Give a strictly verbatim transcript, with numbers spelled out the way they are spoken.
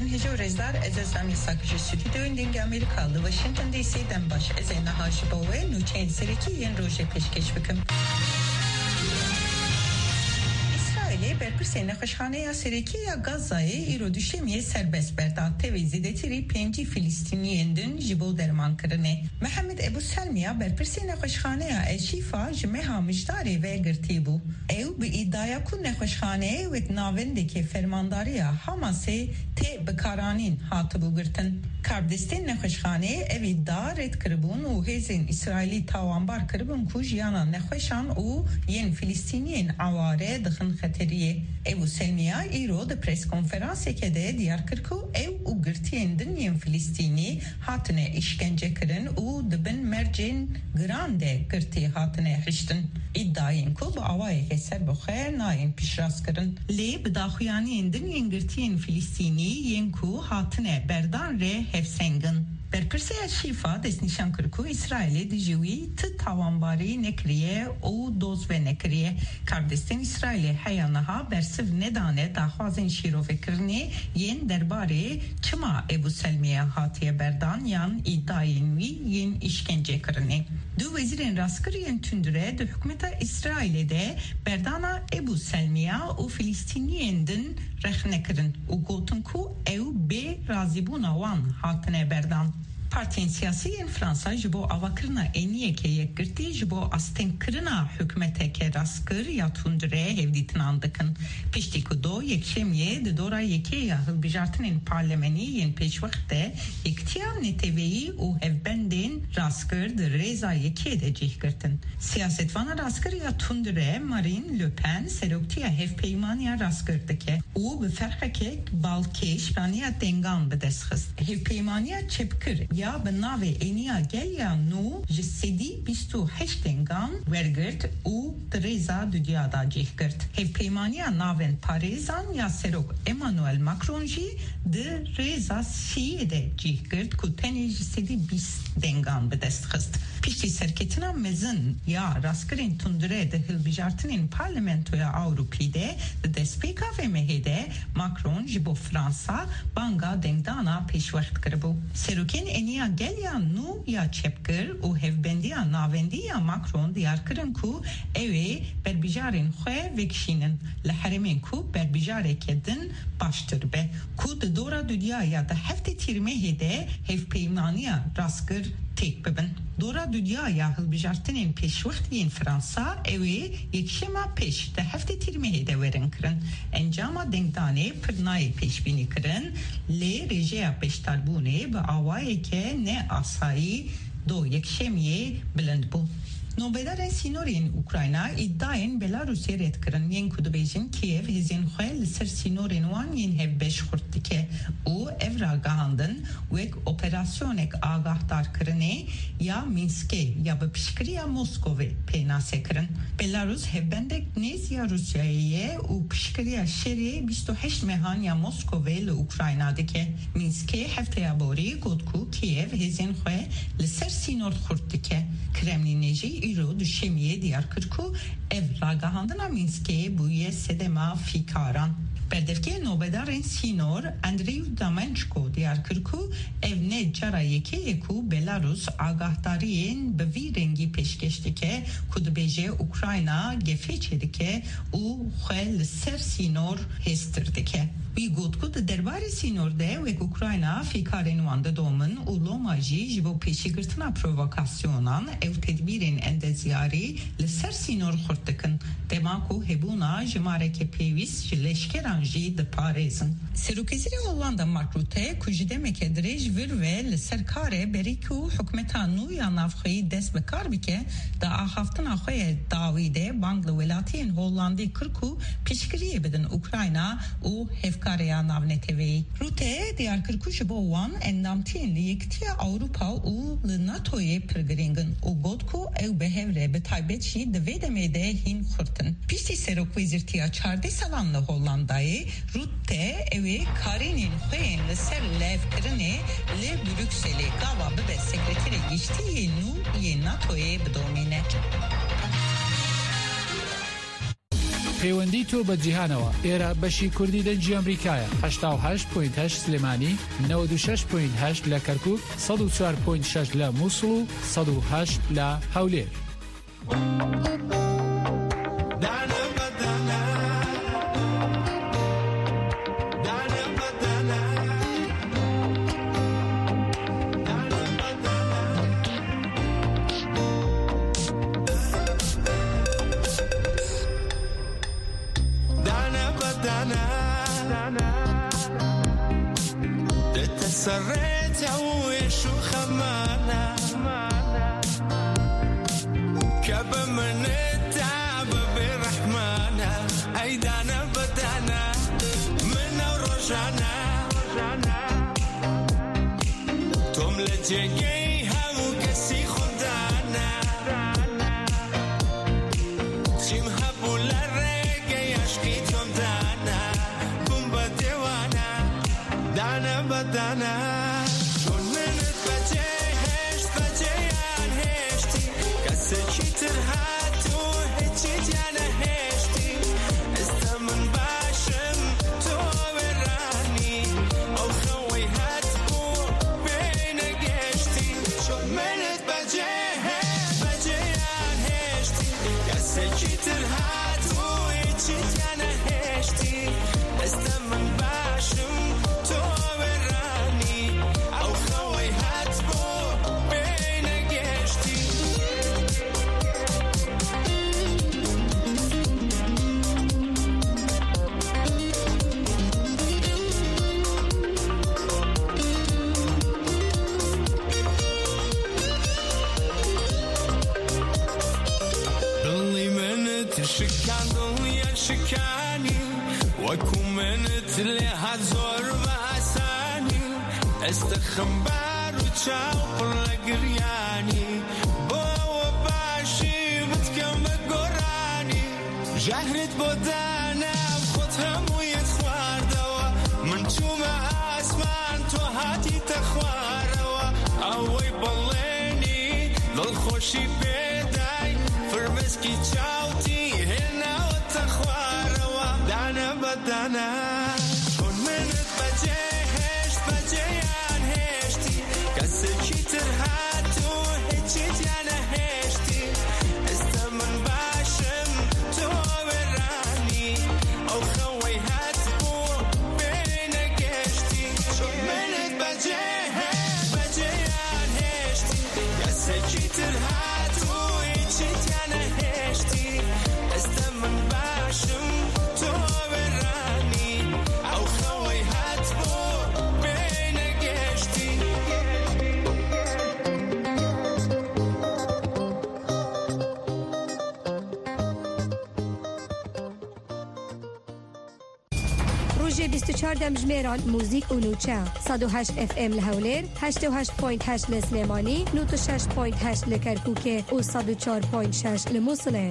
Hêja û rêzdar, ez Ezra Mîsak ji stûdyoyên Dengê Amerîka li Washington D C dem baş. Ez ê niha ji bo we nûçeyên serekî yên rojê pêşkêş bikim. Îsraîlê berpirsê nexweşxaneya serekî ya Gazayê îro Duşemiyê serbest berda. Tevî zêdetirî pêncî Filistîniyên din ji bo dermankirinê. Mihemed Ebu Selmiya, berpirsê nexweşxaneya El Şîfa, ji meha Mijdarê ve girtî bû. Ew bi îdaya ku nexweşxaneyê wek navendeke fermandariya Hamasê tê bikaranîn hatibû girtin. Karbidestên nexweşxaneyê ev îdia red kiribûn û hêzên Îsraîlî tawanbar kiribûn ku jiyana nexweşan û yên Filistîniyên eware dixin xeteriyê. Ebu Selmiya îro di preskonferanseke de diyar kir ku ew û girtiyên din yên Filistînî hatine îşkence kirin û di bin mercên giran de girtî hatine hiştin. Îdiayên ku bi awayeke serbixwe nayên piştrast kirin. Lê bi daxuyaniyên din yên girtiyên Filistînî yên ku hatine berdan re hevseng in. Berpirsê El Şîfa destnîşan kir ku Îsraîlê dijî wî ti tawanbarî nekiriye û doz venekiriye. Karbidestên Îsraîlê heya niha bersiv nedane daxwazên şîrovekirinê yên derbarê çima Ebu Selmiye hatiye berdan yan îdayên wî yên îşkencekirinê. Du wezîrên rastkir yên tundre di hikûmeta Îsraîlê de berdana Ebu Selmiya û Filistîniyên din rexne kirin û gotin ku ew bê razîbûna wan hatine berdan. Partiyên siyasî yên Fransa ji bo avakirina êniyeke yekgirtî ji bo astengkirina hikûmeteke rastkir ya tundre hevdîtinan dikin. Piştî ku do Yekşemiyê di dora yekê ya hilbijartinên parlemenî yên pêşwext de Yekitiya Neteweyî û hevbendên rastkir di rêza yekê de cih girtin. Siyasetvana rastkir ya tundre Marine Le Pen seroktiya hevpeymaniya rastkir dike û bi ferqeke balkêş piraniya dengan bi dest xist. Hevpeymaniya çepkir ya bi navê Êniya Gel ya Nû ji sedî bîst û heşt dengan wergirt û di rêza dudiya de cih girt. Hevpeymaniya navend parêzan ya serok Emmanuel Macron jî di rêza siyê de cih girt ku tenê ji sedî bîst dengan bi dest xist. Piştî serketina mezin ya rastkirên tundre di hilbijartinên Parlamentoya Ewropî de di destpêka vê mehê de Macron ji bo Fransa banga dengdana pêşwext kiribû. Serokên Êniya Gel ya Nû ya çepkir û Hevbendiya Navendî ya Macron diyar kirin ku ew ê berbijarên xwe vekişînin li herêmên ku berbijareke din baştir be, ku di dora dudiya ya di heftê Tîrmehê de hevpeymaniya rastkir têk bibin. Dora dudiya ya hilbijartinên pêşwext yên Fransa ew ê yekşema pêş di heftê Tîrmehê de werin kirin. Encama dengdanê pir nayê pêşbînîkirin, lê rêjeya beşdarbûnê bi awayeke ne asayî do Yekşemiyê bilind bû. Nobedarên sînorê yên Ukrayna îdiayên Belarusê red kirin, yên ku dibêjin Kiev hêzên xwe li ser sînorên wan yên hevbeş xurt dike û ev ragihandin wek operasyonek agahdarkirinê ya Mînskê ya bi piştgiriya Moskovê pênase kirin. Belarus hevbendek nêz ya Rûsyayê ye û piştgiriya şerê bîst û heşt mehan ya Moskovê li Ukrayna dike. Mînskê hefteya borî got ku Kiev hêzên xwe li ser sînor xurt dike. Kremlînê jî îro Duşemiyê diyar kir ku ev ragihandina Mînskê bûye sedema fîkaran. Berdevkê nobedarên sînor Andriy Damençko diyar kir ku ev ne cara yekê ye ku Belarus agahdariyên bi vî rengî pêşkêş dike ku dibêje Ukrayna gefê çêdike û xwe li ser sînor hêztir dike. Wî got ku di derbarê sînor de wek Ukrayna fîkarên wan didomin û loma jî ji bo pêşîgirtina provokasyonan ew tedbîrên endezyarî li ser sînor xurt dikin, dema ku hebûna jimareke pêwîst ji leşkeran jî diparêzin. Serokwezîrê Hollanda Mark Rutte, ku ji demeke dirêj vir ve li ser kar e, berî ku hikûmeta nû ya navxweyî dest bi kar bike, di axaftina xwe ya dawî de bang li welatiyên Hollandî kir ku piştgiriyê bidin Ukrayna û hevkareya navneteweyî. Rutte diyar kir ku ji bo wan endamtiyên li Yekitiya Ewropa û li NATOyê pir girîng in û got ku ew bi hev re, bi taybet jî di vê demê de hîn xurt in. Piştî serokwezîrtiya çardeh salan li Hollandayê, Rutte ew ê karînên xwe yên li ser levkirinê li Brukselê gava bibe sekreterê giştî yê nû yê NATOyê bidomîne. پەیوەندی تۆ بە جیهانەوە. ئێرە بەشی کوردی دەنگی ئەمریکایە. هەشتا و هەشت پۆینت هەشت سلێمانی، نەوەد و شەش پۆینت هەشت لە کەرکووک، سەد و چوار پۆینت شەش لە مووسڵ و سەد و هەشت لە هەولێر. دانە بە دانە دەتەسەڕێتە و ئێش و خەمانە، کە بە منتدا بەبێ ڕەحمانە. ئەی دانە بە دانە، منە ڕۆژانە تۆم لە جێگەی هەموو کەسی خۆمدانە. چیم هەبوو لە ڕێگەی عەشقی تۆمدانە، بووم بە دێوانە. دانە بە دانە، چۆن منت بەجێ هێشت، بەجێیان هێشتی. کەسێکی تر هات و هیچی جیا نەهێشتی. ئێستا من باشم، تۆ وێرانی، ئەو خەوەی هات بوو پێی نەگەشتی. چۆن منت بەجێ هێشت، بەجێیان هێشتی. کەسێکی تر هات و هیچی جیا نەهێشتی. ئێستا من باشم، تۆ وێرانی، ئەو خەوەی هات بۆ پێی نەگەشتی. دڵی منت شکان، دڵیان شکانی، وەکو منت لێ هات زۆر بە ئاسانی. ئێستا خەمبار و چاو پڕ لە گریانی، بۆ ئەوە باشی بتکەم بە گۆرانی. ژەهرت بۆ دانام، خۆت هەموویت خواردەوە. من چوومە ئاسمان، تۆ هاتیتە خوارەوە. ئەوەی بەڵێنی دڵخۆشی پێدای، فرمێسکی چاوتی هێناوەتە خوارەوە. دانە بە دانە، چۆن منت بەجێ هێشت، بەجێیان هێشتی. کەسێکی تر هات و هیچی جیا نەهێشتی. ئێستا من باشم، تۆ وێرانی، ئەو خەوەی هات بوو پێی نەگەشتی. چۆن منت بەجێ هێشت، بەجێیان هێشتی. کەسێکی تر هات و هیچی جیا نەهێشتی. ئێستا من باشم، تۆ وێرانی، ئەو خەوەی هات بۆ پێی نەگەشتی. Rojê bîst û çar demjimêran muzîk û nûçe. Sed û heşt F M li Hewlêr, heştê û heşt point heşt li Silêmanî, nod û şeş point heşt li Kerkûkê û sed û çar point şeş li Mûsilê.